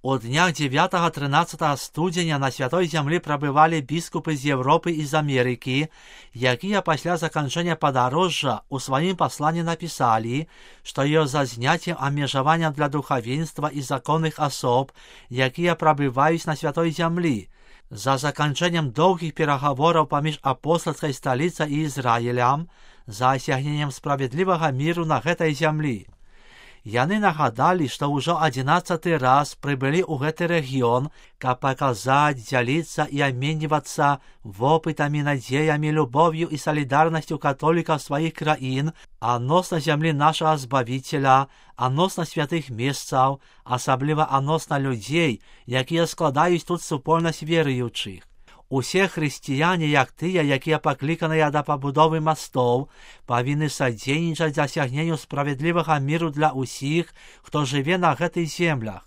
У днях 9-13 студзеня на святой зямлі прабывалі біскупы з Европы і з Амерыкі, якія пасля заканчэння падарожжа ў сваім пасланні напісалі, што ёсць за зняццем абмежаванняў для духавенства і законных асоб, якія прабываюць на святой зямлі, за заканчэннем доўгіх перагавораў паміж апостальскай сталіцай і Ізраілем, за асягненнем справядлівага міру на гэтай зямлі. Яны нагадалі, што ўжо 11 раз прыбылі ў гэты рэгіён, каб паказаць, дзяліцца і абменьвацца вопытамі, надзеямі, любов'ю і салідарнасцю католікаў сваіх краін адносна зямлі нашага Збавіцеля, адносна святых месцаў, асабліва адносна людзей, якія складаюць тут супольнасць веруючых. Усе хрысціяне, як тыя, якія пакліканыя да пабудовы мастоў, павінны садзейнічаць дасягненню справядлівага міру для ўсіх, хто жыве на гэтых землях.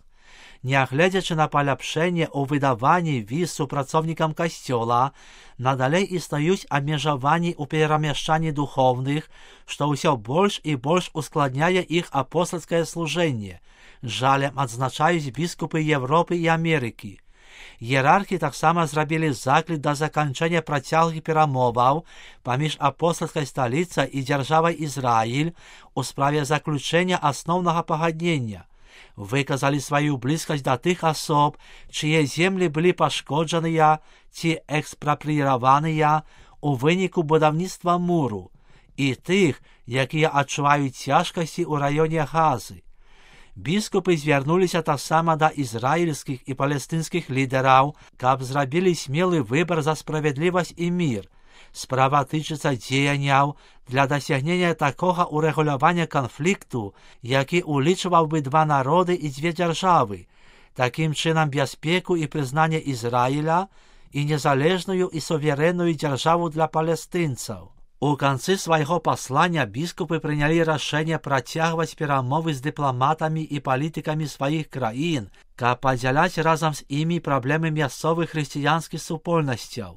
Нягледзячы на паляпшэнне ў выдаванні віз супрацоўнікам касцёла, надалей існуюць абмежаванні ў перамяшчанні духоўных, што ўсё больш і больш ускладняе іх апостальскае служэнне. Жалем адзначаюць біскупы Европы і Амерыкі. Іерархі таксама зрабілі заклік да заканчэння працяглых перамоваў паміж апостальскай сталіцай і дзяржавай Ізраіль у справе заключэння асноўнага пагаднення. Выказалі сваю блізкасць да тых асоб, чые землі былі пашкоджаныя ці экспрапрыяваныя у выніку будаўніцтва муру, і тых, якія адчуваюць цяжкасці ў раёне Газы. Біскупы звярнуліся таксама да ізраільскіх і палестынскіх лідараў, каб зрабілі смелы выбар за справядлівасць і мір. Справа тычыцца дзеянняў для дасягнення такога урэгулявання канфлікту, які улічваў бы два народы і дзве дзяржавы, такім чынам бяспеку і прызнанне Ізраіля і незалежную і суверэнную дзяржаву для палестынцаў. У канцы свайго паслання біскупы прынялі рашэнне працягваць перамовы з дыпламатамі і палітыкамі сваіх краін, каб падзяляць разам з імі праблемы мясцовых хрысціянскіх супольнасцяў.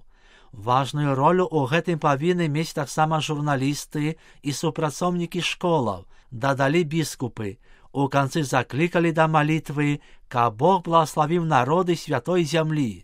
Важную ролю ў гэтым павінны мець таксама журналісты і супрацоўнікі школаў, дадалі біскупы. У канцы заклікалі да малітвы, каб Бог благаславіў народы святой зямлі.